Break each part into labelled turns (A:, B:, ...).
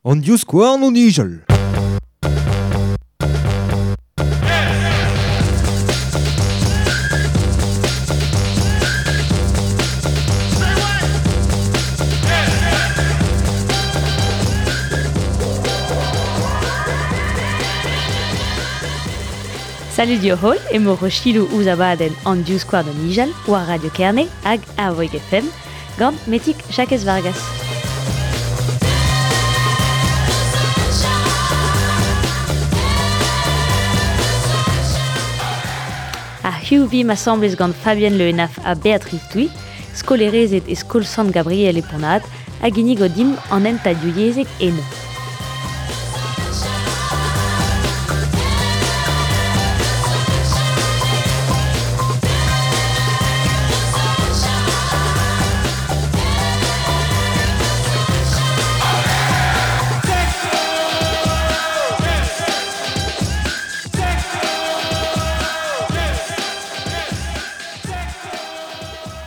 A: An divskouarn o nijal.
B: Salut dio holl, emañ Rochilou ouzh abadenn an divskouarn o nijal war Radio Kerne hag Arvoig FM gant Metig Jakez Vargas. Ha hiziv vimp asambles gant Fabienne Le Henaff ha Béatrice Douy, skolerezed e skol Sant Gabriel e Pont-Aven, a ginnigo dimp an hentad divyezhek eno.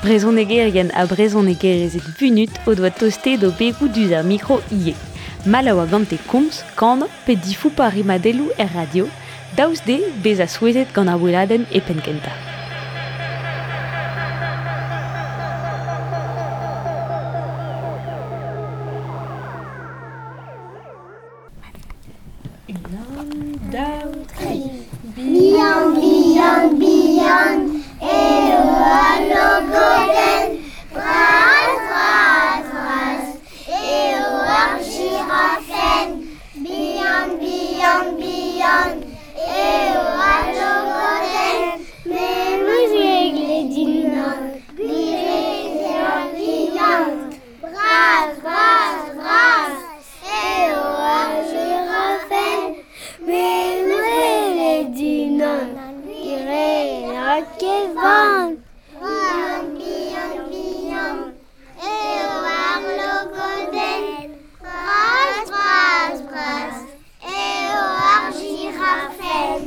B: Brezhonegerien ha brezhonegerezed vunut o doa tostaet o begoù diouzh ar mikro ivez. Mall a oa gante komz, kanañ pe difoupañ rimadelloù er radio, daoust dezhe bezañ souezhet gant ar weladenn e penn-kentañ.
C: Unan, daou, tri. Bihan, bihan, bihan eo al logodenn. Bras, bras, bras eo ar jirafenn. Bihan, bihan, bihan eo al logodenn. Me 'm eus eglet unan, gwir eo bihan. Bras, bras, bras eo ar jirafenn. Me 'm eus gwelet unan, gwir eo kevan. Bihan, bihan, bihan eo ar logodenn. Bras, bras, bras eo ar jirafenn.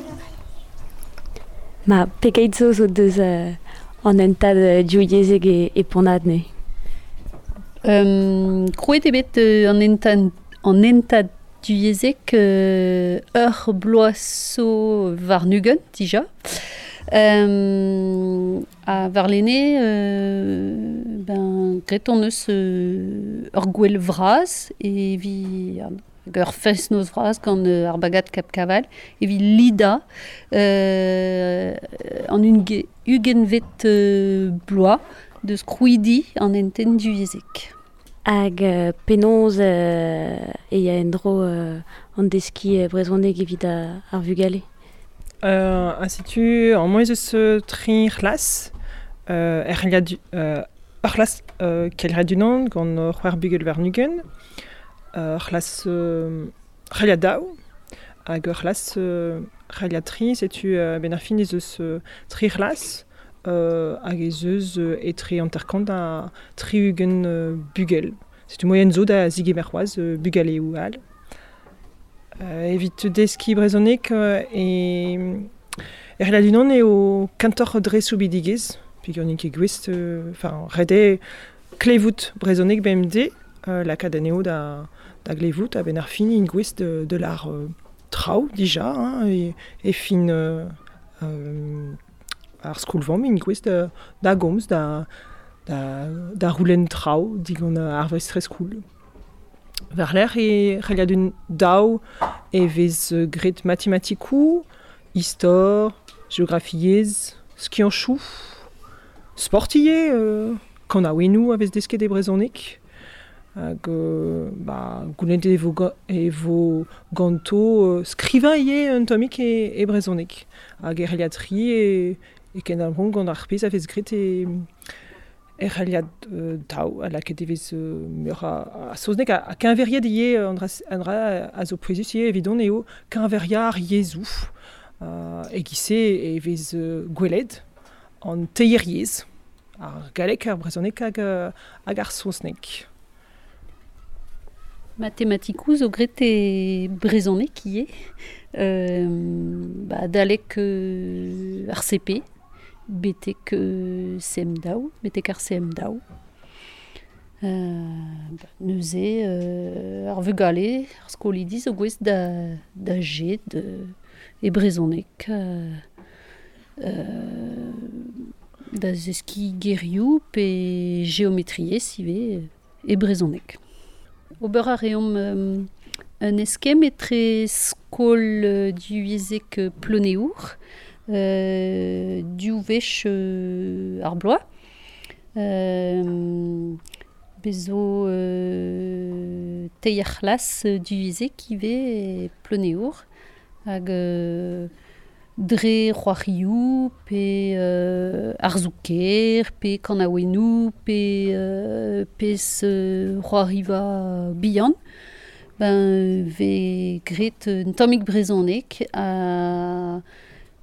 B: Ma, pegeit zo zo deus an hentad divyezhek e Pont-Aven neuze?
D: Krouet eo bet an hentad, an hentad divyezhek ur bloaz zo warn-ugent dija. Ha warlene ben graet hon eus ur gouel vras evit ur fest-noz vras gant ar bagad Cap Caval evit lidañ an ugentvet bloaz deus krouidi an hentenn divyezhek.
B: Hag penaos e ya en-dro an deskiñ brezhoneg evit ar vugale?
E: Ha setu amañ ez eus tri c'hlas er c'hlas ur c'hlas kelc'hiad unan gant c'hwec'h bugel warn-ugent, ur c'hlas c'heliad daou hag ur c'hlas c'heliad tri. Setu a-benn ar fin ez eus tri c'hlas hag ez eus etre hanter-kant ha tri-ugent bugel. Setu moaien zo da zegemer c'hoazh bugaleoù all. Evit deskiñ brezhoneg e c'hellad unan eo kentoc'h dre soubidigezh peogwir n'int ket gouest, enfin ret eo klevout brezhoneg bemdez, lakaat anezho da glevout a-benn ar fin int gouest da lâr traoù dija hein, e fin ar skol-vamm int gouest da gomz, da c'houlenn traoù digant ar vestrez-skol. War-lerc'h e c'hellad un daou e vez graet matematikoù, istor, geografiezh, skianchoù, sport ivez, kanaouennoù a vez desket e brezhoneg. Hag ba goulennet e vo ganto skrivañ ivez un tammig e brezhoneg. Hag e c'hellad tri e kendalc'homp gant ar pezh a vez graet e Er c'haliad daou a lakaet e vez meur a saozneg ha keñveriet ivez an dra a zo pouezus ivez evidon eo keñveriañ ar yezhoù. E-giz-se e vez gwelet an teir yezh, ar galleg, ar brezhoneg hag ar saozneg.
D: Matematikoù zo graet e brezhoneg ivez, ba adalek ar CP. Betek CM daou, betek ar CM daou. Neuze ar vugale, ar skolidi zo gouest da jet e brezhoneg da zeskiñ gerioù pe geometriezh ivez e brezhoneg. Ober a reomp un eskemm etre skol divyezhek Ploneour, div wech ar bloaz. Bez zo teir c'hlas divyezhek ivez e Ploneour hag dre c'hoarioù pe arzoù-kaer pe kanaouennoù pe pezh c'hoariva bihan. Ben vez graet un tammig brezhoneg ha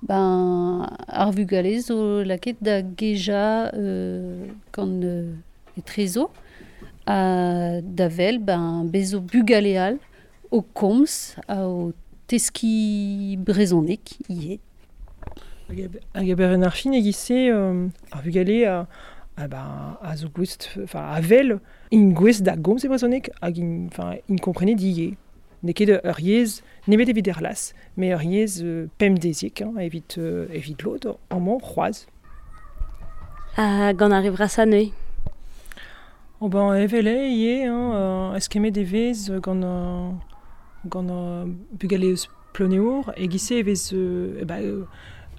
D: ben ar vugale zo lakaet da gejañ gant etrezo ha da wel ben bez zo bugale all o komz ha o teskiñ brezhoneg ivez.
E: Hag eber ar fin e-giz-se ar vugale a zo gouest, enfin a wel int gouest da gomz e brezhoneg hag int komprenet ivez. N'eo ket ur yezh nemet evit er c'hlas, met ur yezh pemdeziek hein, evit lod amañ c'hoazh.
B: Ha gant ar re vrasañ neuze?
E: Oh ben evel eo ivez, hein, eskemmet e vez gant bugale eus Ploneour e-giz-se e vez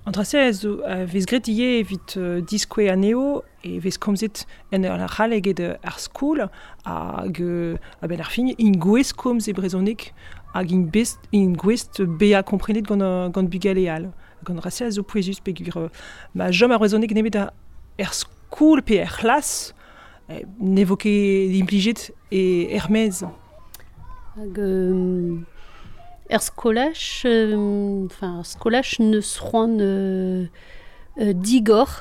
E: an dra-se a vez graet ivez evit diskouez anezho e vez komzet en ur c'hall eget ar skol hag a-benn ar fin int gouest komz e brezhoneg hag int gouest bezañ komprenet gant bugale all. Gant an dra-se a zo pouezus peogwir ma chom ar brezhoneg nemet er skol pe er c'hlas ne vo ket implijet er-maez.
D: Hag er skolaj, enfin ar skolaj neus c'hoant digor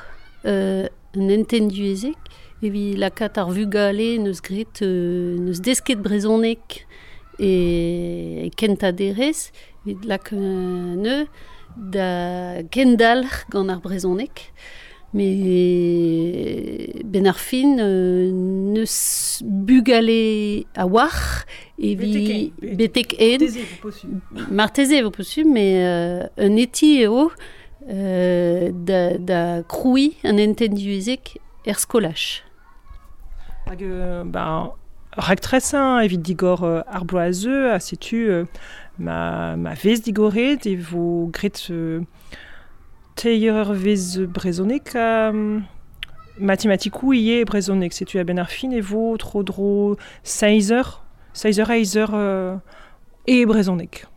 D: un hentenn divyezhek evit lakaat ar vugale neus graet neus desket brezhoneg e kentañ derez evit lakaat anezho da kendalc'h gant ar brezhoneg. Met benn ar fin neus bugale a-walc'h evit betek en. Marteze e vo posubl, met un eti eo da krouiñ an hentenn divyezhek er skolaj.
E: Hag ben, raktresañ evit digor ar bloaz a zeu, ha setu ma vez digoret e vo graet teir eurvezh brezhoneg matematikoù ivez brezhoneg. Setu a-benn ar fin e vo tro-dro seizh eur, eizh eur e brezhoneg.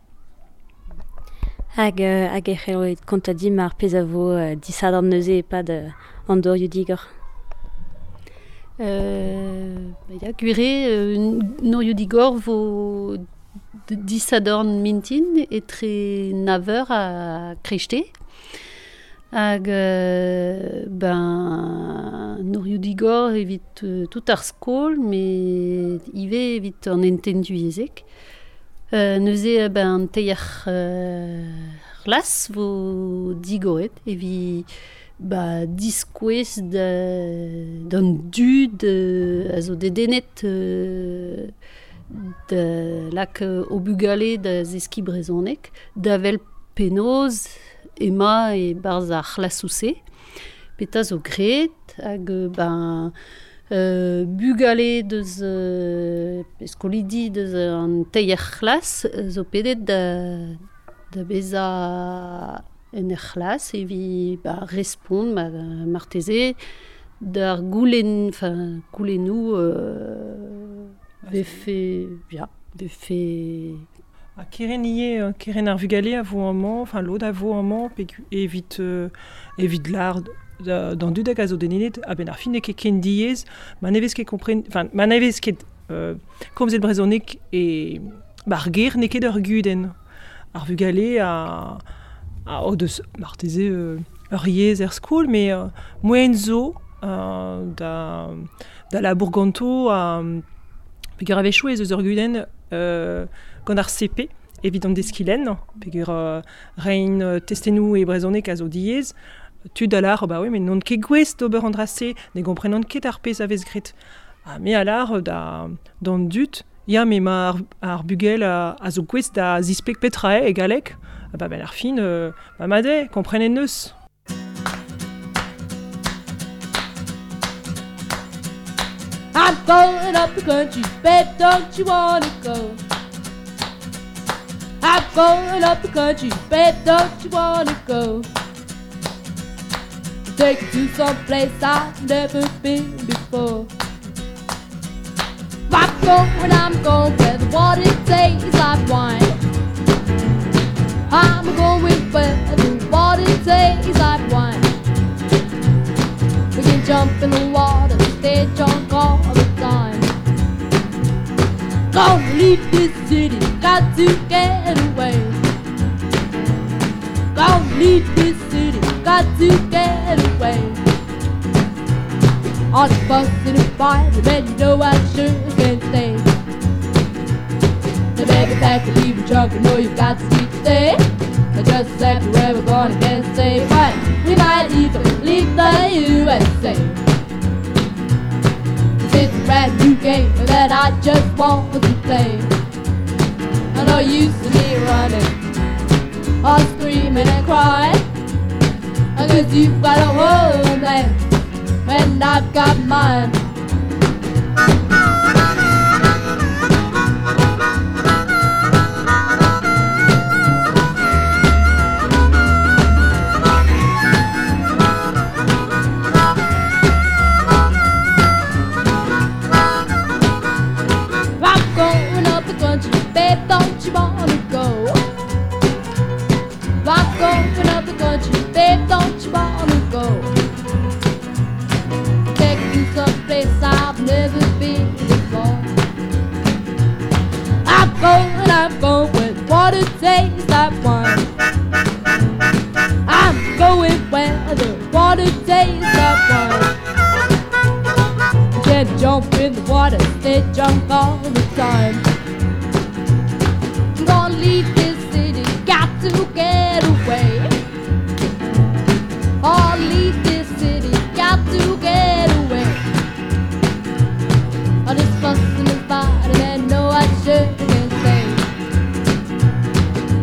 B: Hag e c'hello kontañ dimp ar pezh a vo disadorn neuze e-pad an dorioù digor.
D: Ya, gwir eo, norioù digor vo disadorn mintin etre nav eur ha kreisteiz. Hag ben norioù digor evit tout ar skol, met ivez evit an hentenn divyezhek. Neuze ben teir c'hlas vo digoret evit ba diskouez d'an dud a zo dedennet da lak o bugale da zeskiñ brezhoneg, da wel penaos ema e-barzh ar c'hlasoù-se. Petra zo graet hag ben bugale deus skolidi deus an teir c'hlas zo pedet da bezañ en ur c'hlas evit ba respont marteze d'ar goulenn, enfin goulennoù vefe ya, vefe.
E: Ha keren ivez, keren ar vugale a vo amañ, enfin lod a vo amañ evit evit lâr d'an dud hag a zo dedennet a-benn ar fin n'eo ket ken diaes, ma ne vez ket kompren, enfin ma ne vez ket komzet brezhoneg e ar ger n'eo ket ur gudenn. Ar vugale a o deus marteze ur yezh er skol, met moaien zo da labour ganto peogwir a-wechoù ez eus ur gudenn gant ar CP evit an deskiñ lenn, peogwir reiñ testennoù e brezhoneg a zo diaes. Tud a lâr, bah oui, met n'on ket gouest d'ober an dra-se, ne gomprenan ket ar pezh a vez graet. Ha me a lar da d'an dud, ya me ma ar bugel a zo gouest da zispleg petra e galleg, ba ben ar fin, ba made, komprenet neus.
F: I'm going up the country, babe, don't you wanna go? I'm going up the country, babe, don't you wanna go? Take you to some place I've never been before. I'm going where the water tastes like wine. I'm going where the water tastes like wine. We can jump in the water, stay drunk all the time. Gonna leave this city, got to get away. Gonna leave this city, got to get away. All the fuss and the fight, man, you know I sure can't stay. The baby pack and leave a trunk, you know you've got to sleep today. Just exactly where we're going, can't say, but we might even leave the USA. It's a brand new game that I just want to play. I know you see me running, all screaming and crying, 'cause you've got a homeland and I've got mine. I'm going up the country, babe, don't you wanna go? I'm going up the country, babe, don't you wanna go? Take you someplace I've never been before. I'm going where the water tastes like wine. I'm going where the water tastes like wine. You can jump in the water, stay drunk all the time. I'm gonna leave this city, got to get away. I'll leave this city, got to get away. All this fussing and fighting, and no, I sure can't stay.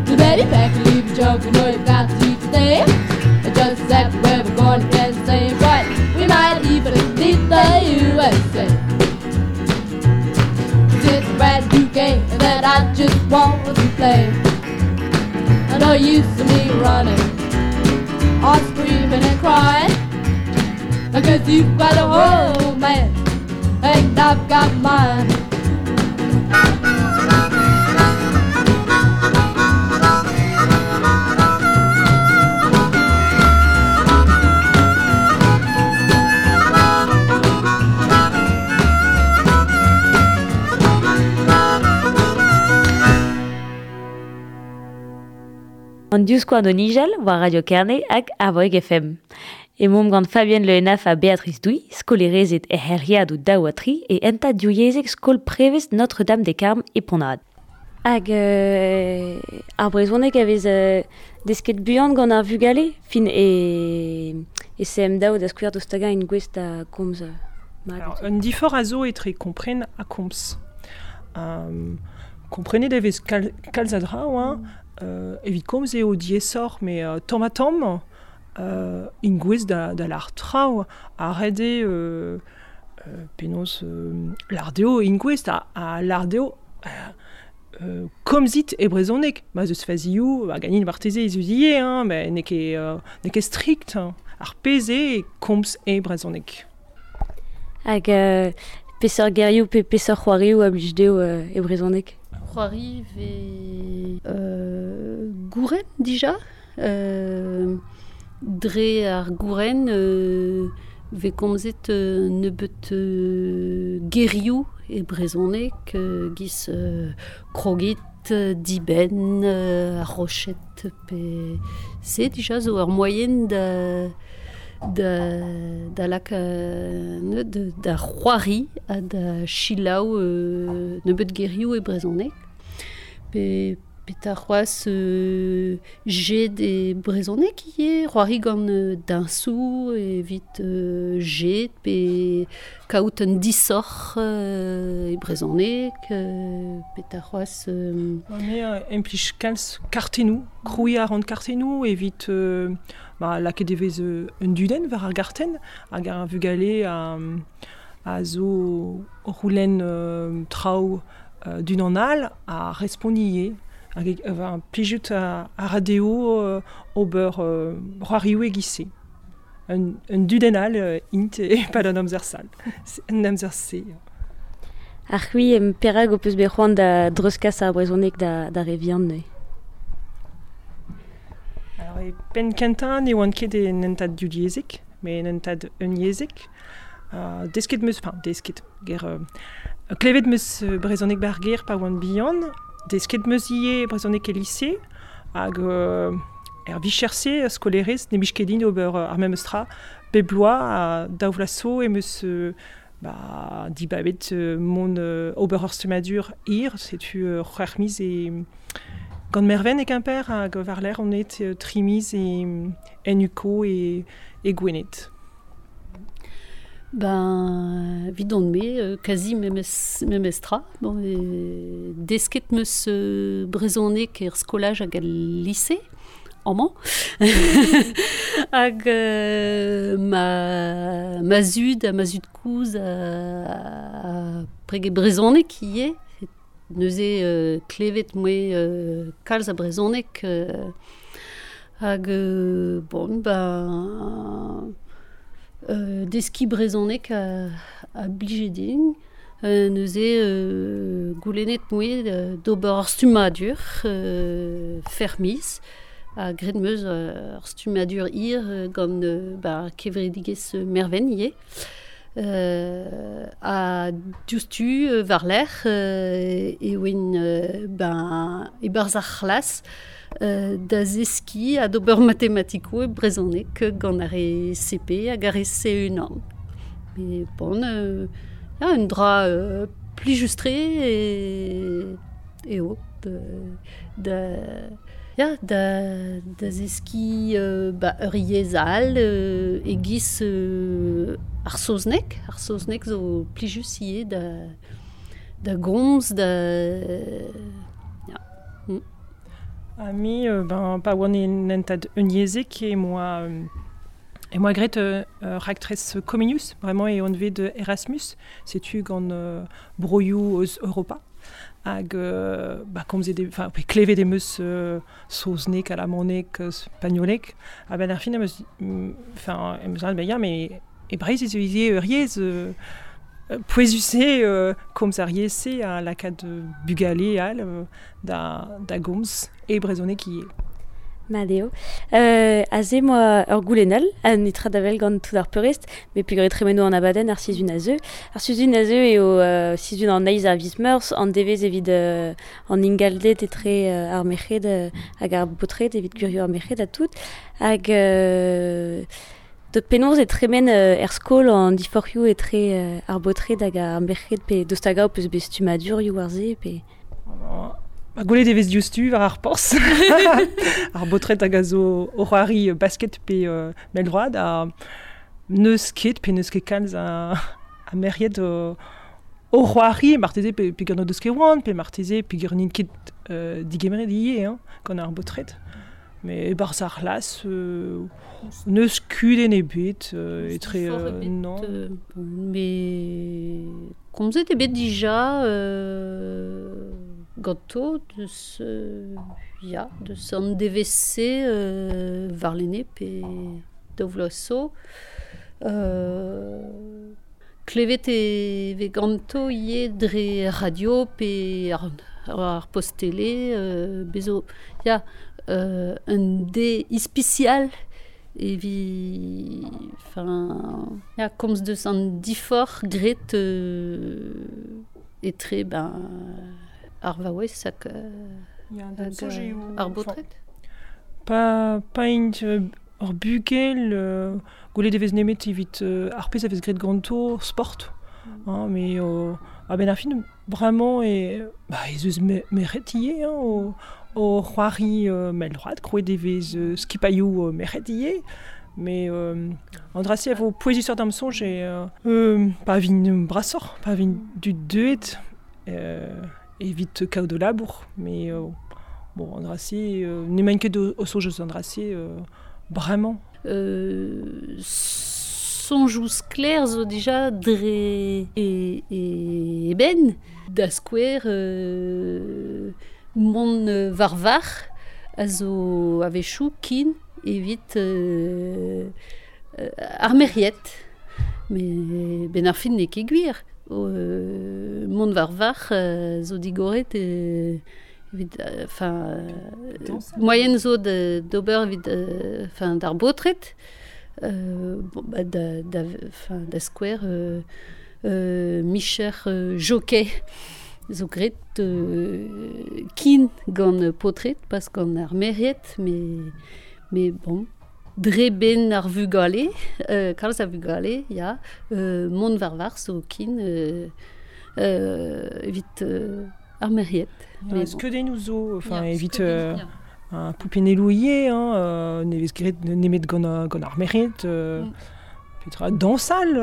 F: The baby pack and leave your junk, you know you've got to eat today. Just exactly where we're going, can't say, but we might even leave the USA. It's a brand new game that I just want to play. I know you see me running, all screaming and crying, 'cause you've got a homeland and I've got mine.
B: An diouskoan o nijal war Radio Kerne hag Arvoeg FM. Emaomp gant Fabienne Le Henaff ha Béatrice Douy, skolerezet e c'hellriadoù daou ha tri e enta divyezhek skol prevez Notre-Dame des Carmes e Pont-Aven. Hag ar brezhoneg a vez desket buan gant ar vugale, fin e CM daou da skouer d'o stagañ en gouest da komz.
E: Alors, un difor a zo etre kompren ha komz. Komprenet e vez kalz a dra, hein. Evit komz eo diaesoc'h, me tamm ha tamm, in gouez da l'ar traoù, a rede penaos l'ardeo in gouez a l'ardeo komzit e brezhoneg, ma zeus fazioù, ba ganin marteze ez eus ivez, hein, met n'eo ket strikt, hein. Ar pezh eo komz e brezhoneg.
B: Hag peseurt gerioù pe peseurt c'hoarioù a blij dezho e brezhoneg?
D: C'hoari vez gouren dija. Dre ar gouren vez komzet nebeut gerioù e brezhoneg giz krogit, dibenn, ar rochet pe se dija zo ur moaien da lak da c'hoari ha da chilaou nebeut gerioù e brezhoneg. Pe Petra c'hoazh jet e brezhoneg ivez, c'hoari gant diñsoù evit jet pe kaout un disoc'h e brezhoneg, petra c'hoazh...
E: Me implij kalz kartennoù, krouiñ a ran kartennoù evit ba, lakaet e vez un dudenn war ar gartenn hag ar vugale a zo o c'houlenn traoù d'unan all ha respont ivez. Hag plijout a ra dezho ober c'hoarioù e-giz-se. Un dudenn all int e-pad an amzer sal. An amzer-se.
B: Ar c'hwi em perak ho peus bet c'hoant da dreuzkas ar brezhoneg da re vihan neuze?
E: Alors, e penn kentañ ne oan ket en hentad divyezhek, met en hentad unyezhek. Desket 'm eus, enfin desket, ger, klevet 'm eus brezhoneg b'ar gêr pa oan bihan, desket 'm eus ivez brezhoneg e lise, hag er vicher-se, skolaerez, ne blij ket din ober ar memes tra. Bep bloaz, ha daou vloaz zo em eus ba, dibabet mont ober ur stummadur hir, setu c'hwec'h miz e gant Merven e Kemper, hag war-lerc'h on aet tri miz e en UCO e Gwened.
D: Ben, evidon-me, kazi memes tra. Bon, desket 'm eus brezhoneg er skolaj hag el lise, amañ. Hag ma zud ha ma zud-kozh a prege brezhoneg ivez. Neuze klevet 'm boa kalz a brezhoneg hag bon, ben... deskiñ brezhoneg a blije din. Neuze goulennet 'm boa d'ober ur stummadur fermiz ha graet 'm eus ur stummadur hir gant ba kevredigezh Merven ivez. Ha diouzhtu war-lerc'h e oan ben e-barzh ar c'hlas da zeskiñ ha d'ober matematikoù e brezhoneg gant ar re CP hag ar re C1. Mais bon, ya, un dra plijus-tre eo da ya, da zeskiñ ba ur yezh all e-giz ar saozneg. Ar saozneg zo plijus ivez da gomz, da... ya.
E: Ha me, ben, pa oan en hentad unyezhek em boa graet ur raktres Comenius, bremañ eo anvet Erasmus, setu gant broioù eus Europa. Hag ba, komzet e, enfin, klevet em eus saozneg, alamaneg, spagnoleg. A-benn ar fin em eus, enfin, em eus ben ya, met e Breizh ez eus ivez ur yezh pouezus eo komz ar yezh-se ha lakaat bugale all da gomz e brezhoneg ivez.
B: Mat eo. Aze 'moa ur goulenn all, ha netra da wel gant tout ar peurrest, met peogwir e tremeno an abadenn ar sizhun a zeu. Ar sizhun a zeu eo sizhun an eizh a viz Meurzh, an devezh evit an ingalded etre ar merc'hed hag ar baotred, evit gwirioù ar merc'hed ha tout. Hag penaos e tremen er skol an diforc'hioù etre ar baotred hag ar merc'hed, pe daoust hag-eñ ho peus bet stummadurioù war se, pe...
E: Ba, gwelet e vez diouzhtu war ar porzh. Ar baotred hag a zo o c'hoari basket pe mell-droad ha n'eus ket pe n'eus ket kalz a merc'hed o c'hoari, marteze peogwir n'o deus ket oant, pe marteze peogwir n'int ket digemeret ivez hein, gant ar baotred. Mais e-barzh ar c'hlas, n'eus kudenn ebet etre... non.
D: Mais komzet eo bet dija ganto deus ya, deus an devezh-se warlene pe daou vloaz zo. Klevet e vez ganto ivez dre radio pe ar post tele, bez zo ya, un deiz ispisial evit enfin ya, komz deus an diforc'h graet etre ben ar vaouez hag ar baotred.
E: Pa int ur bugel, gwelet e vez nemet evit ar pezh a vez graet ganto sport. Hein, mais a-benn ar fin, bremañ e, ba, ez eus merc'hed ivez hein, o c'hoari mell-droad, krouet e vez skipailhoù merc'hed ivez, mais an dra-se a vo pouezusoc'h d'am soñj e pa vin brasoc'h, pa vin dud deuet evit kaout o labour, mais bon, an dra-se n'emaint ket o soñj eus an dra-se bremañ.
D: Soñjoù sklaer zo dija dre e benn, da skouer mont war varc'h a zo a-wechoù kin evit ar merc'hed. Met benn ar fin n'eo ket gwir. Mont war varc'h zo digoret evit enfin moaien zo d'ober evit enfin d'ar baotred. Bon, bah, da, da skouer micher jockey zo graet kin gant paotred, pas gant ar merc'hed, mais bon, dre benn ar vugale, kalz a vugale, ya, mont war varc'h zo kin evit ar merc'hed.
E: Ya, mais bon. Skeudennoù zo, enfin, evit un poupinelloù ivez, hein, ne vez graet nemet gant ar merc'hed, petra, dañsal,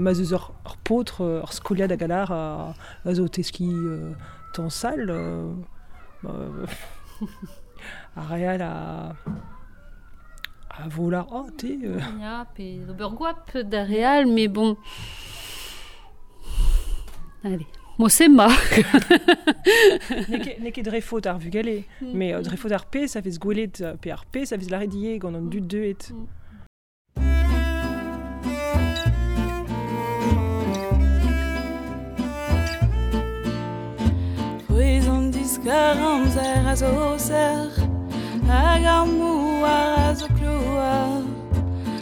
E: ma 'z eus ur paotr, ur skoliad hag a lar a zo o teskiñ dañsal, ar re all a vo lar, oh, te...
D: Ya, pe ober goap d'ar re all, mais bon... Allez. Mo se ma.
E: N'eo ket dre faot ar vugale, met dre faot ar pezh a vez gwelet pe ar pezh a vez lâret ivez gant an dud deuet.
G: Frouezh an diskar-amzer a zo sec'h hag ar mouar a zo klouar.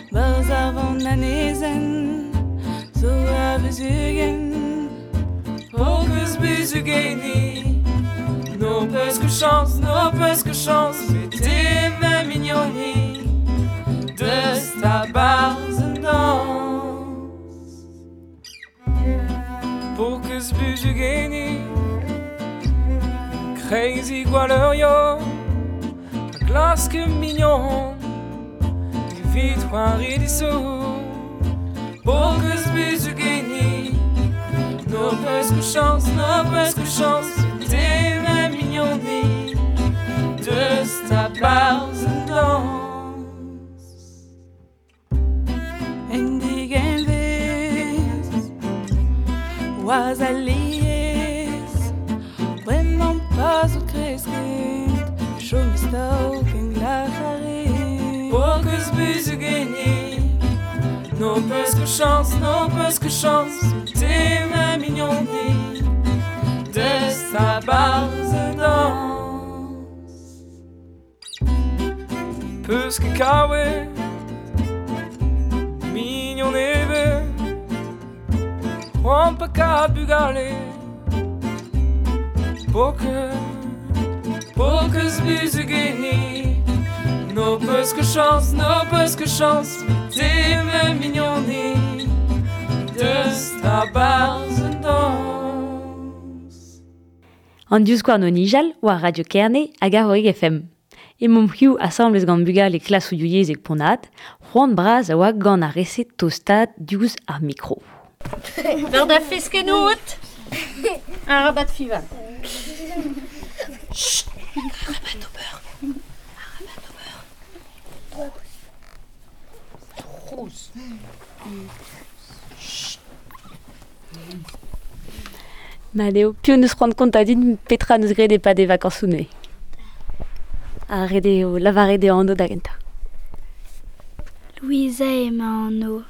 G: Barzh ar vananezenn zo a vuzugenn. Peus buzugeni, no peus ket chañs, no peus ket chañs, te ma mignoni, deus ta barzh an dañs. Peus buzugeni, kreiz gwaleurio, a glask mignon, evit c'hoari disou. Peus buzugeni, no peus ket chañs, no peus ket chañs, te ma mignoni, deus ta barzh an dañs. En digenvez, oaz alies, bremañ pa zo kresket, chom staok en glac'haret. Peus buzugeni, no peus ket chañs, no peus ket chañs, te ma mignoni, deus ta barzh an dañs. Peus ket kaouet, mignon ebet, c'hoant pa kat bugale. Peus buzugeni, no peus ket chañs, no peus ket chañs, te ma mignoni, deus ta barzh an dañs.
B: An divskouarn o nijal war Radio Kerne hag Arvorig FM. Emaomp hiziv asambles gant bugale klasoù divyezhek Pont-Aven, c'hoant bras a oa gant ar re-se tostaat diouzh ar mikro.
D: War da feskennoù out. Arabat fival. Chut. Arabat ober. Arabat ober. Trouz. Chut.
B: Mat eo, piv neus c'hoant kontañ din petra neus graet e-pad e vakañsoù neuze? Ha ret eo lavaret e anv da gentañ.
C: Louisa emañ anv.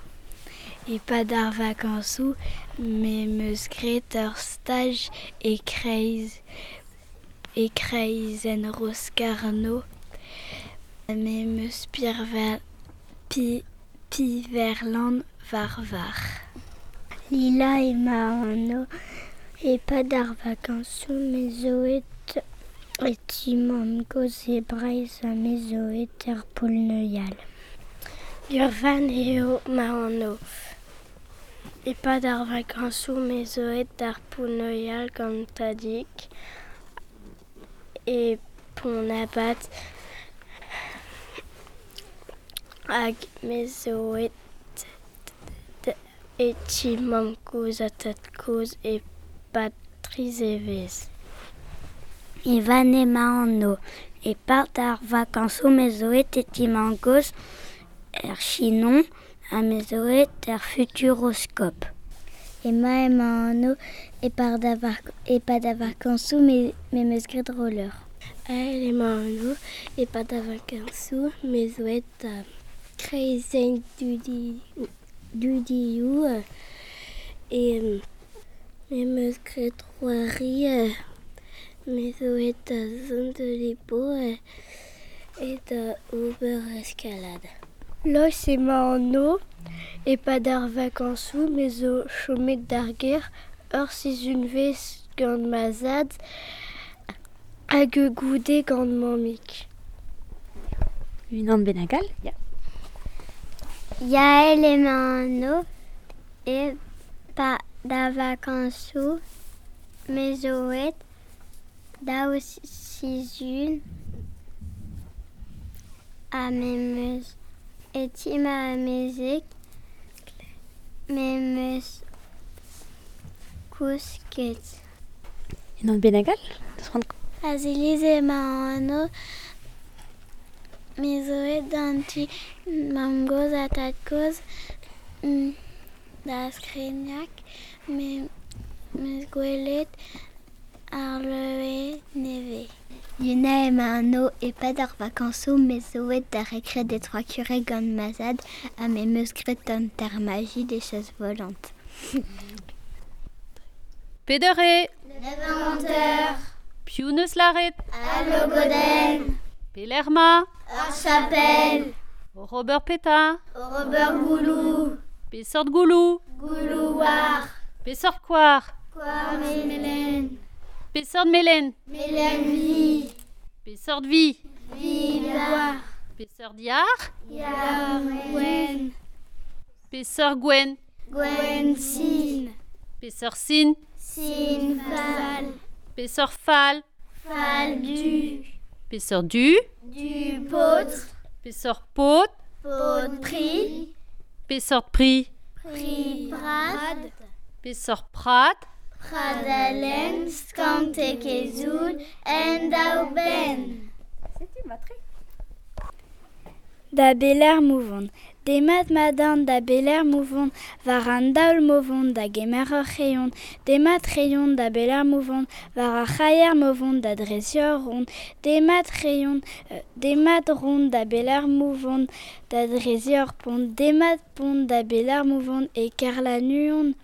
C: E-pad ar vakañsoù, me 'm eus graet ur staj e kreiz e kreizenn Roscarno. Me 'm eus Piverland war varc'h. Lila emañ anv. E-pad ar vakañsoù, me zo aet e ti mamm-gozh e Breizh ha me zo aet er poull-neuial. Gurvan eo ma anv. E-pad ar vakañsoù, me zo aet d'ar poull-neuial gant tadig. E Pont-Abat hag me zo aet e ti mamm-kozh ha tad-kozh e-pad tri zevezh.
H: Ivan emañ anv. E-pad ar vakañsoù me zo aet e ti mamm-gozh er Chinon ha me zo aet er Futuroscope.
C: Emañ emañ anv e-pad ar vakañsoù me 'm eus graet roller. Ael emañ anv e-pad ar vakañsoù me zo aet da kreizenn dudioù e me 'm eus graet c'hoari me zo aet da zont de Lipo e da ober eskalad.
I: Lois emañ anv e-pad ar vakañsoù me zo chomet d'ar gêr ur sizhunvezh gant ma zad hag goude gant mammig.
B: Unan bennak all, ya.
C: Yael emañ anv e-pad ar vakañsoù me zo aet daou sizhun ha me 'm eus e ti ma amezeg me 'm eus kousket.
B: Unan bennak all?
C: Aziliz emañ anv me zo aet d'an ti mamm-gozh ha tad-kozh da Skrigneg me 'm eus gwelet ar leue nevez.
H: Yuna emañ anv e-pad ar vakañsoù me zo aet da rekred e Trois Curés gant ma zad ha me 'm eus graet an termaji des chaises volantes.
D: Peder eo.
C: Neuf
D: Piv 'neus lâret?
C: Al logodenn.
D: Pelec'h 'ma?
C: Ur chapel.
D: Robert petra?
C: Robert Gouloù.
D: Peseurt gouloù?
C: Gouloù war.
D: Peseurt koar?
C: Koar melen.
D: Peseurt melen?
C: Melen vi.
D: Peseurt vi?
C: Vi war.
D: Peseurt yar?
C: Yar gwenn.
D: Peseurt gwenn?
C: Gwenn sin.
D: Peseurt sin?
C: Sin fall.
D: Peseurt fall?
C: Fall du.
D: Peseurt du?
C: Du paotr.
D: Peseurt paotr?
C: Paotr pri.
D: Peseurt pri?
C: Pri prad.
D: Peseurt prad?
C: Pradalen, skantek e zoul, en daou benn.
B: Setu matre.
H: Da beler mouvon. Demat madan da beler mouvon, war an daol movon da gemer ur c'hreion. Demat c'hreion da beler mouvon, war ar c'haier movon da drezior rond. Demat c'hreion, demat rond da beler mouvon, da drezior pont. Demat pont da beler mouvon e kerlanuon.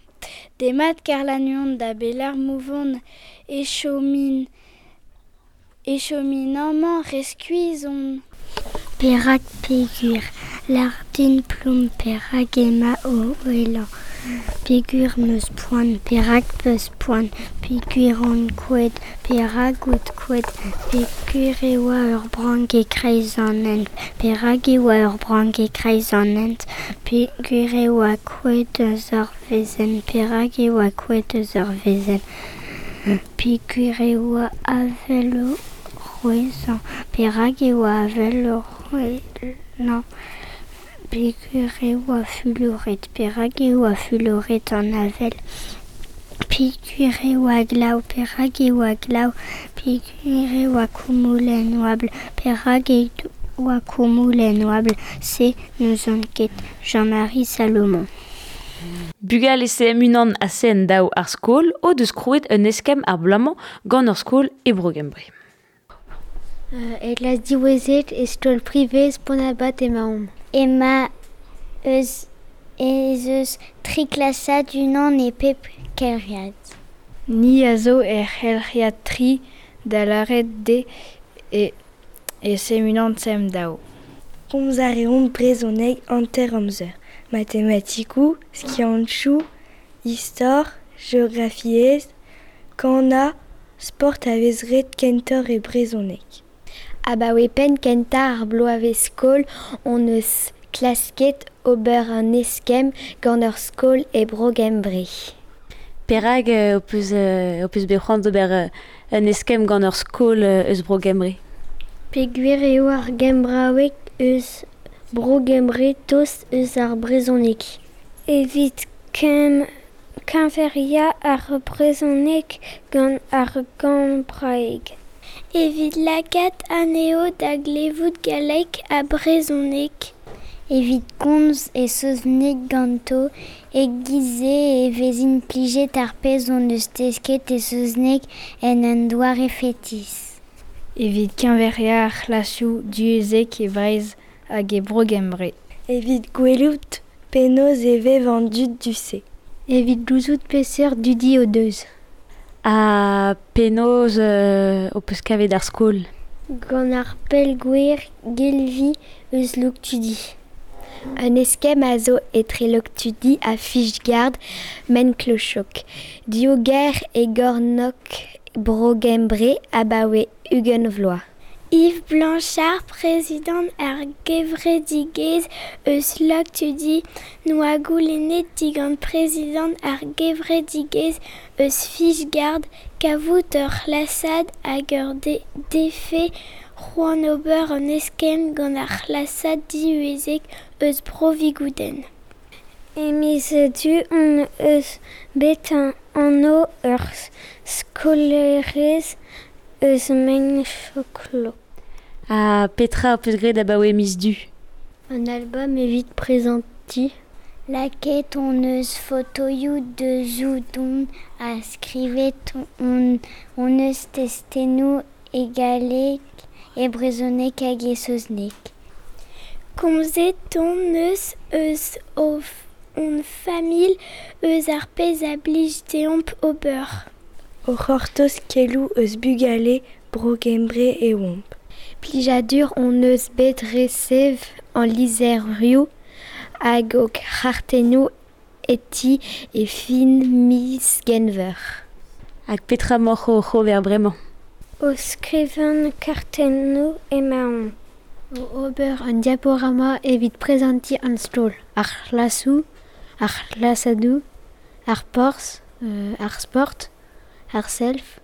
H: Demat kerlanuon da beler mouvon, e chomin amañ reskuizon.
C: Perak pegur, lardin plomm perak emañ o ouelañ. Pegur 'm eus poan, perak 'peus poan, pegur on kouezhet, perak out kouezhet, pegur e oa ur brank e-kreiz an hent, perak e oa ur brank e-kreiz an hent, pegur e oa kouezhet eus ar wezenn, perak e oa kouezhet eus ar wezenn, pegur e oa avel o c'hwezhañ, perak e oa avel o c'hwezhañ, pegur e oa fuloret, perak e oa fuloret an avel, pegur e oa glav, perak e oa glav, pegur e oa koumoul en oabl, perak e oa koumoul en oabl, se n'ouzon ket. Jean-Marie Salomon.
B: Bugale CM unan ha CN daou ar skol o deus krouet un eskemm ar bloaz-mañ gant ur skol e Bro-Gembre.
C: E klas diwezhet e skol privez Pont-Abat emaomp. Emañ eus ez eus tri klasad unan e pep kelc'hiad.
J: Ni a zo er c'helc'hiad tri da lâret de e CM unan CM daou.
I: Komz a reomp brezhoneg hanter amzer. Matematikoù, skiantoù, istor, geografiezh, kanañ, sport a vez ret kentoc'h e brezhoneg.
C: Abaoe penn kentañ ar bloavezh-skol hon eus klasket ober un eskemm gant ur skol e Bro-Gembre.
B: Perak ho peus bet c'hoant d'ober un eskemm gant ur skol eus Bro-Gembre?
C: Peogwir eo ar gembraoueg eus Bro-Gembre tost eus ar brezhoneg. Evit keñveriañ ar brezhoneg gant ar gembraeg. Evit lakaat anezho da glevout galleg ha brezhoneg. Evit komz e saozneg ganto, e-giz-se e vez implijet ar pezh hon eus desket e saozneg en un doare fetis.
J: Evit keñveriañ ar c'hlasoù divyezhek e Breizh hag e Bro-Gembre.
K: Evit gwelout penaos e vev an dud du-se.
C: Evit gouzout peseurt dudi o deus.
B: Ha penaos ho peus kavet ar skol?
C: Gant ar pellgwir Gelvi eus Loktudi. Un eskemm a zo etre Loktudi ha Fishguard Maenclochog. Div gêr e gornôg Bro-Gembre abaoe 20 vloaz. Yves Blanchard, prezidant ar gevredigezh eus Loktudi, 'noa goulennet digant prezidant ar gevredigezh eus Fishguard kavout ur c'hlasad hag ur defe c'hoant ober un eskemm gant ar c'hlasad divyezhek eus Bro-Vigoudenn. E miz Du hon eus bet anv ur skolaerez eus Maenclochog.
B: Ha petra ho peus graet abaoe miz Du?
C: Un albom evit prezantiñ. Lakaet hon eus fotoioù deus-oudon ha skrivet hon eus testennoù e galleg, e brezhoneg hag e saozneg. Komzet hon eus eus hon familh, eus ar pezh a blij deomp ober.
K: O c'hortoz keloù eus bugale Bro-Gembre e oamp.
C: Plijadur hon eus bet resev an lizherioù hag o c'hartennoù e ti e fin miz Genver.
B: Hag petra 'maoc'h oc'h ober bremañ?
C: O skrivañ kartennoù emaon.
L: O ober un diaporama evit prezantiñ an stroll, ar c'hlasoù, ar c'hlasadoù, ar porzh, ar sport, ar self,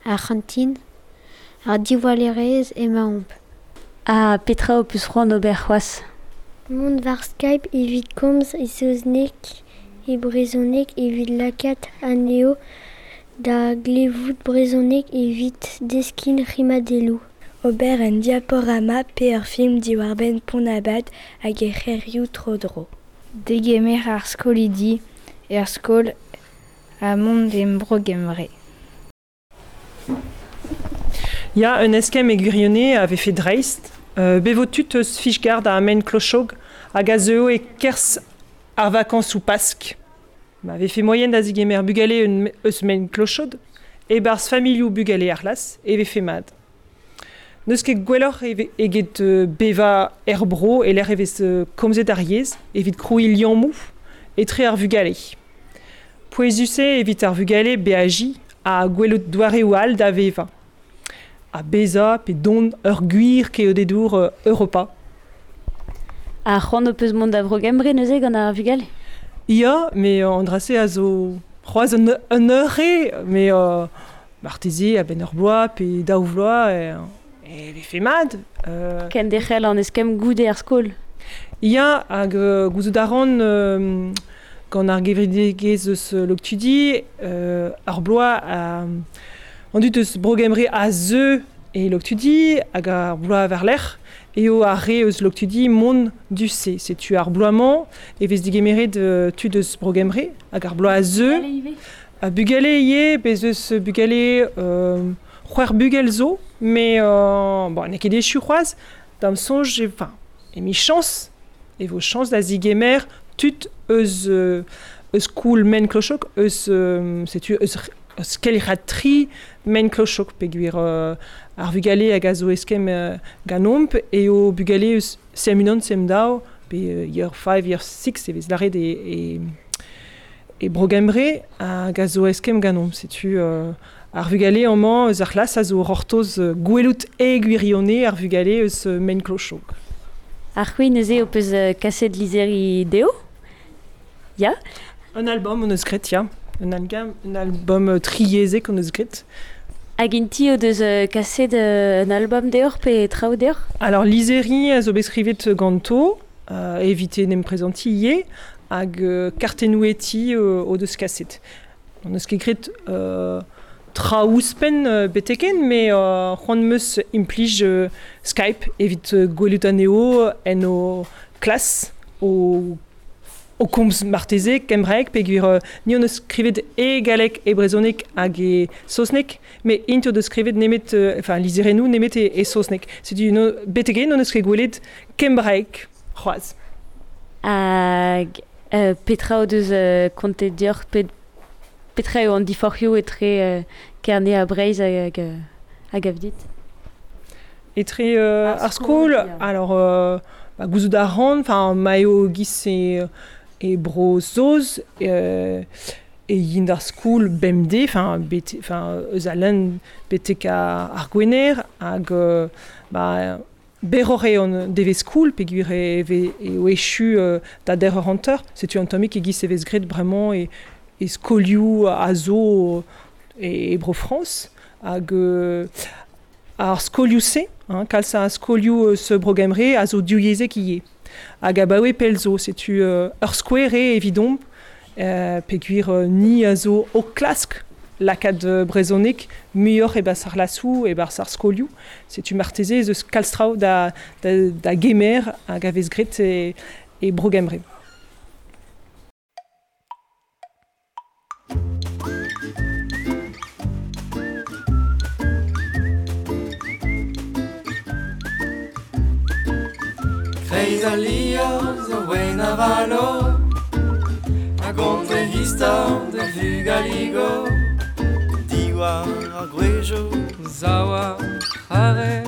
L: ar c'hantin, ar diwallerezh emaomp.
B: Ha petra ho peus c'hoant ober c'hoazh?
C: Mont war Skype evit komz e saozneg, e brezhoneg evit lakaat anezho da glevout brezhoneg evit deskiñ rimadelloù.
K: Ober un diaporama pe ur film diwar-benn Pont-'n-Abad hag e c'hêrioù tro-dro.
J: Degemer ar skolidi er skol ha mont e Bro-Gembre.
E: Ya, un eskemm e gwirionez a vefe dreist. Bet vo tud eus Fishguard ha Maenclochog hag a zeuo e-kerzh ar vakañsoù Pask. Ma vefe moaien da zigemer bugale eus Maenclochog e-barzh familhoù bugale ar c'hlas e vefe mat. N'eus ket gwelloc'h eget bevañ er bro e-lec'h e vez komzet ar yezh evit krouiñ liammoù etre ar vugale. Pouezus eo evit ar vugale beajiñ ha gwelout doareoù all da vevañ. Ha bezañ pe dont ur gwir keodedour Europa.
B: Ha c'hoant ho peus mont da Vro-Gembre neuze gant ar vugale?
E: Ya, met an dra-se a zo c'hoazh un eur eo, met marteze a-benn ur bloaz pe daou vloaz e vefe mat.
B: Kenderc'hel an eskemm goude ar skol?
E: Ya, hag gouzout a ran gant ar gevredigezh eus Loktudi, ar bloaz an dud eus Bro-Gembre a zeu e Loktudi hag ar bloaz war-lerc'h eo ar re eus Loktudi mont du-se. Setu ar bloaz-mañ e vez digemeret tud eus Bro-Gembre hag ar bloaz a zeu. Bugale ivez, bez eus bugale c'hwec'h bugel zo, met bon, n'eo ket echu c'hoazh, da'm soñj, enfin, emichañs, e vo chañs da zigemer tud eus eus koul Maenclochog, eus setu eus eus kelc'had tri Maenclochog peogwir ar vugale hag a zo eskemm ganeomp eo bugale eus CM1, CM2 pe year 5, year 6 e vez lâret e e Bro-Gembre hag a zo eskemm ganeomp. Setu ar vugale amañ eus ar c'hlas a zo c'hortoz gwelout e gwirionez ar vugale eus Maenclochog.
B: Ar c'hwi neuze ho peus kaset lizheri dezho? Ya?
E: Un album hon eus graet, ya. Un album triyezhek hon eus graet.
B: Hag inti o deus kaset un album deoc'h pe traoù deoc'h?
E: Alors lizeri a zo bet skrivet ganto, evite n'em prezanti ivez, hag kartennoù eti o deus kaset. On eus ket graet traoù ouzhpenn beteken, met c'hoant 'm eus implij Skype evit gwelout anezho en o klas, o komz marteze kembraeg, peogwir ni hon eus skrivet e galleg, e brezhoneg hag e saozneg, met int o deus skrivet nemet, enfin lizherennoù nemet e saozneg. Setu beteken hon eus ket gwelet kembraeg c'hoazh.
B: Hag petra o deus kontet deoc'h, petra eo an diforc'hioù etre Kerne ha Breizh hag a dit?
E: Etre ar skol, alors gouzout a ran, enfin ma eo giz e Bro-Saoz e yin d'ar skol bemdez, enfin eus a lenn betek ar Gwener, hag berroc'h eo an devezh skol, peogwir eo echu da der ur hanter, setu an tammig e giz e vez graet bremañ e skolioù a zo e Bro-Frañs, hag ar skolioù-se, kalz a skolioù eus Bro-Gembre a zo divyezhek ivez. Hag abaoe pell zo, setu ur skouer eo evidomp, peogwir ni a zo o klask lakaat brezhoneg muioc'h e-barzh ar lasoù, e-barzh ar skolioù. Setu marteze ez eus kalz traoù da gemer hag a vez graet e Bro-Gembre.
G: Kreiz al liorzh a wenn a valo, a gont e istor da vugaligo.
M: Diwar ar gwejo,
G: zawa hare,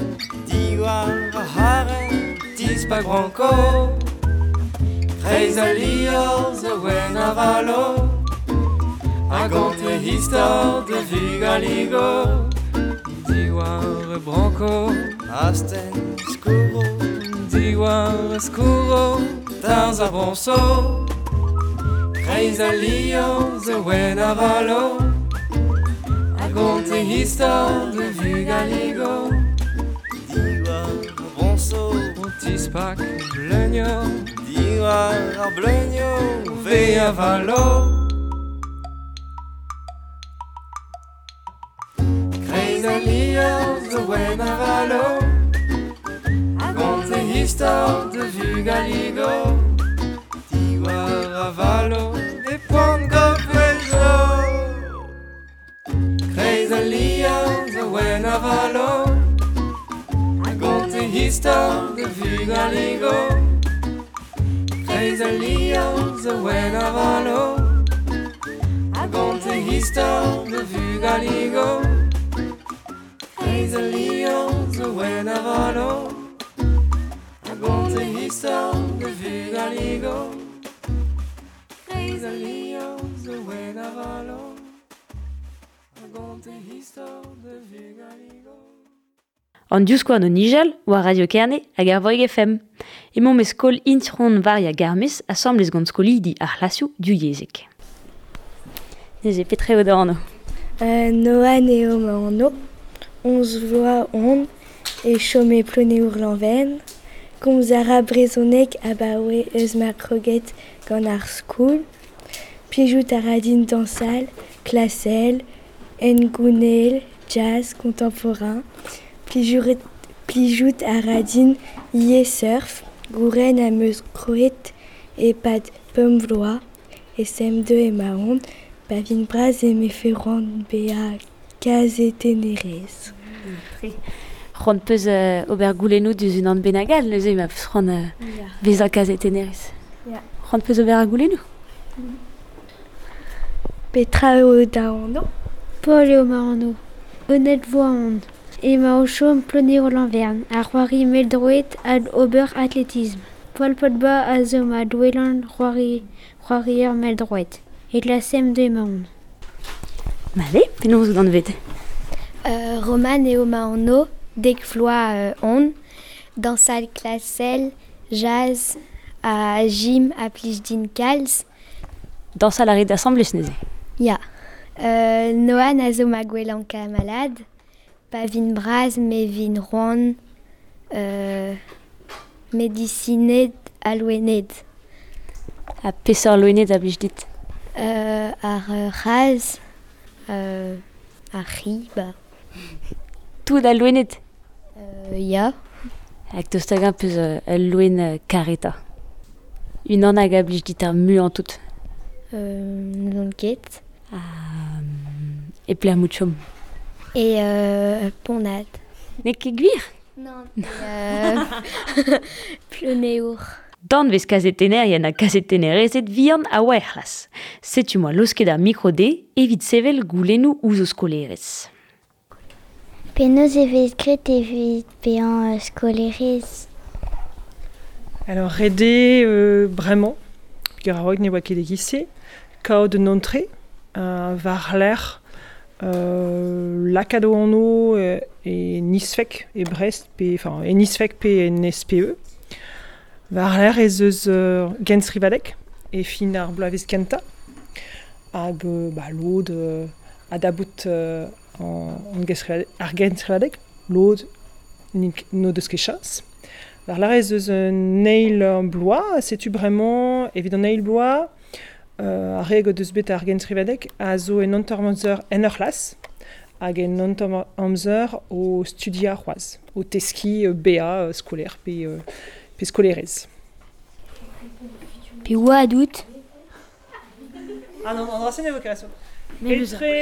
M: diwar ar hare,
G: dispak branko. Kreiz al liorzh a wenn a valo, a gont e istor da vugaligo. Diwar e branko,
M: astenn skourro,
G: diwar skourro, tarzh ar broñso. Kreiz al liorzh a wenn a valo, a gont e istor de vugaligo.
M: Diwar ar broñso,
G: o tispak bleunioù,
M: diwar ar bleunioù,
G: ve a valo. Kreiz al liorzh a wenn a valo, a gont e istor de vugaligo. Diwar a valo, e poan gofejo. Kreiz al liorzh a wenn a valo, a gont e istor de vugaligo. Kreiz al liorzh a wenn a valo, a gont e istor de vugaligo. Kreiz al liorzh a wenn a valo, a gont e istor de vugaligo. Kreiz al liorzh a wenn a valo, a gont e istor de vugaligo.
B: An diouskoan o nijal, war Radio Kerne hag ar Voig FM. Emaomp e skol Intron Varia Garmez asambles gant skolidi ar c'hlasoù divyezhek. Neuze, petra eo da anv?
K: Noan eo ma anv, 11 vloaz on, e chom e Ploneour-Lanven. Komz a ra brezhoneg abaoe eus ma kroget gant ar skol. Plijout a ra din dañsal, klasel, hengounel, jazz, contemporain. Plijout a ra din ivez surf, gouren am eus kroet e-pad pemp vloaz, e CM2 emaon, pa vin bras e mefe c'hoant bezañ kazetennerez.
B: C'hoant peus ober goulennoù diouzh unan bennak all, neuze ma peus c'hoant bezañ kazetennerez. C'hoant peus ober ar goulennoù?
K: Petra eo da anv?
L: Paul eo ma anv. Honnête voa on. Ema o chom Ploneour-Lanvern, ar c'hoari mell-droed hag ober athlétisme. Paul Pogba a zo ma douelan c'hoarier mell-droed. E klas M2 emaon.
B: Allez, penaos out anvet?
C: Roman eo ma anv, dek vloaz on, dañsal klasel, jazz, ha gym a plij din kalz.
B: Dañsal a rit asambles neuze?
C: Ya. Noan a zo ma gwellañ kamalad.
L: Pa vin braz, me vin roan medisined ha loened.
B: Ha peseurt loened a blij dit?
L: Ar c'hazh, ar c'hi, ba.
B: Tout al loened?
L: Ya.
B: Hag daoust hag-eñ peus ul loen karetañ? Unan hag a blij dit ar muiañ tout?
L: N'ouzon ket.
B: E pelec'h 'mout chom?
L: E Pont-Nad.
B: N'eo ket gwir?
L: Non, Ploneour.
B: Danvez kazetennerien ha kazetennerezed vihan a oa er c'hlas. Setu 'moa laosket ar mikro dezhe evit sevel goulennoù ouzh o skolaerez.
C: Penaos e vez graet evit bezañ skolaerez?
E: Alors ret eo bremañ, peogwir a-raok ne oa ket e-giz-se, kaout un antre war-lerc'h lakaat o anv e Nisfec e Brest pe enfin e Nisfec pe en SPE. War-lerc'h ez eus genstrivadeg e fin ar bloavezh kentañ hag bah lod a dabout ar genstrivadeg, lod n'o deus ket chañs. War-lerc'h ez eus un eil bloaz, setu bremañ evit an eil bloaz ar re o deus bet ar genstrivadeg a zo en hanter-amzer en ur c'hlas hag en hanter-amzer o studiañ c'hoazh, o teskiñ bezañ skolaer pe skolaerez.
C: Pe oad out?
E: Ah non, an dra-se ne vo ket Etre,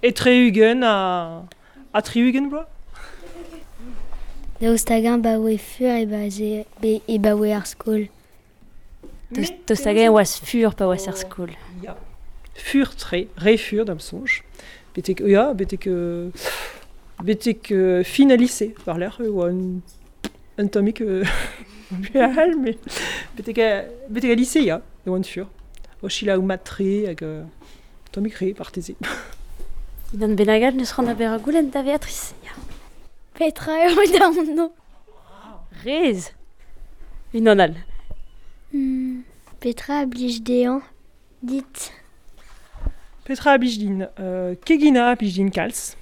E: etre ugent ha 60 bloaz.
C: Daoust hag-eñ 'baoe fur e baoe ar skol?
B: Daoust hag-eñ e oas fur pa oas er skol?
E: Ya, fur-tre, re fur da'm soñj. Betek, ya, betek, betek fin al lise, war-lerc'h e oa un tammig all, met betek, betek al lise, ya, e oan fur. O selaou mat-tre hag tammig re, marteze.
B: Unan bennak all n'eus c'hoant da ober ur goulenn da Veatrice? Ya.
C: Petra eo da anv?
B: Rez! Unan all.
C: Petra a blij dezhañ dit?
E: Petra a blij din? Keginañ a blij din kalz.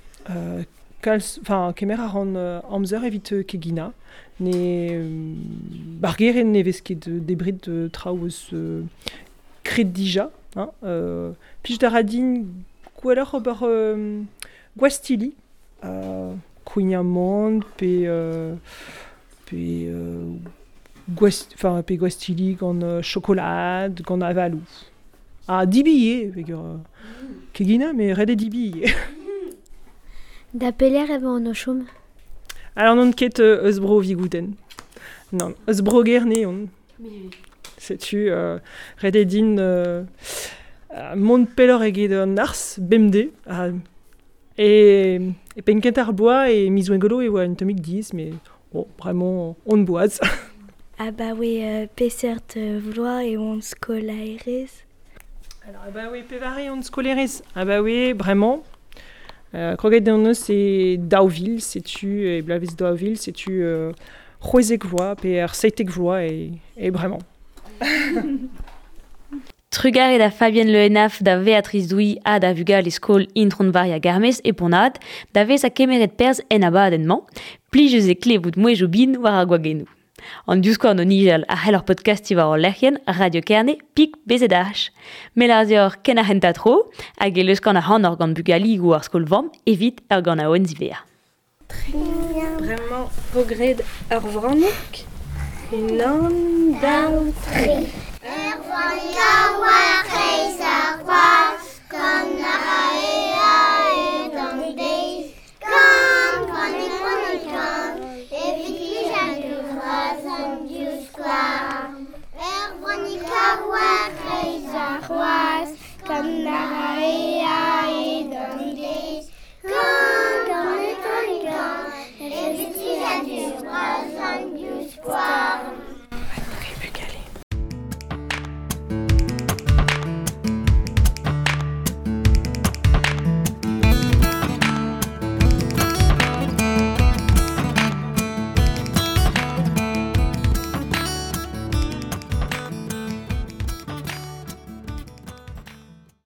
E: Kalz, enfin, kemer a ran amzer evit keginañ. Ne ar gerent ne vez ket debret traoù eus kred dija. Hein, plij a ra din gwelloc'h ober gwastilli, kouign-amann pe pe gwast, enfin, pe gwastilli gant chokolad, gant avaloù. Ha debriñ ivez, peogwir keginañ, met ret eo debriñ ivez.
L: Da pelec'h emañ o chom?
E: Alors n'on ket eus bro Vigoudenn. Non, eus bro Gerne on. Setu ret eo din mont pelloc'h eget an arzh bemdez. E penn kentañ ar bloaz e miz Gwengolo e oa un tammig diaes, met bon, bremañ on boaz.
C: Abaoe peseurt vloaz e oan skolaerez?
E: Alors abaoe pevare on skolaerez? Abaoe bremañ. Kroget hon eus e 2000, setu e bloavezh 2000, setu 16 vloaz pe ar 17 vloaz e bremañ.
B: Trugarez da Fabienne Le Henaff, da Veatrice Douy ha da vugale skol Intron Varia Garmez e Pont-Nad, da vezañ kemeret perzh en abadenn-mañ, plijus eo klevout mouezhioù bihan war ar gwagennoù. An divskouarn o nijal a c'hell ur podkastiñ war hor lec'hienn Radio Kerne pik BZH. Me 'lar deoc'h ken ar c'hentañ tro, hag e leuskan ac'hanoc'h gant bugaligoù ar skol-vamm evit ur ganaouenn ziwezhañ.
K: Bremañ 'vo graet ur vrannig. Unan, daou, tri.
C: Ur vrannig a oa kreiz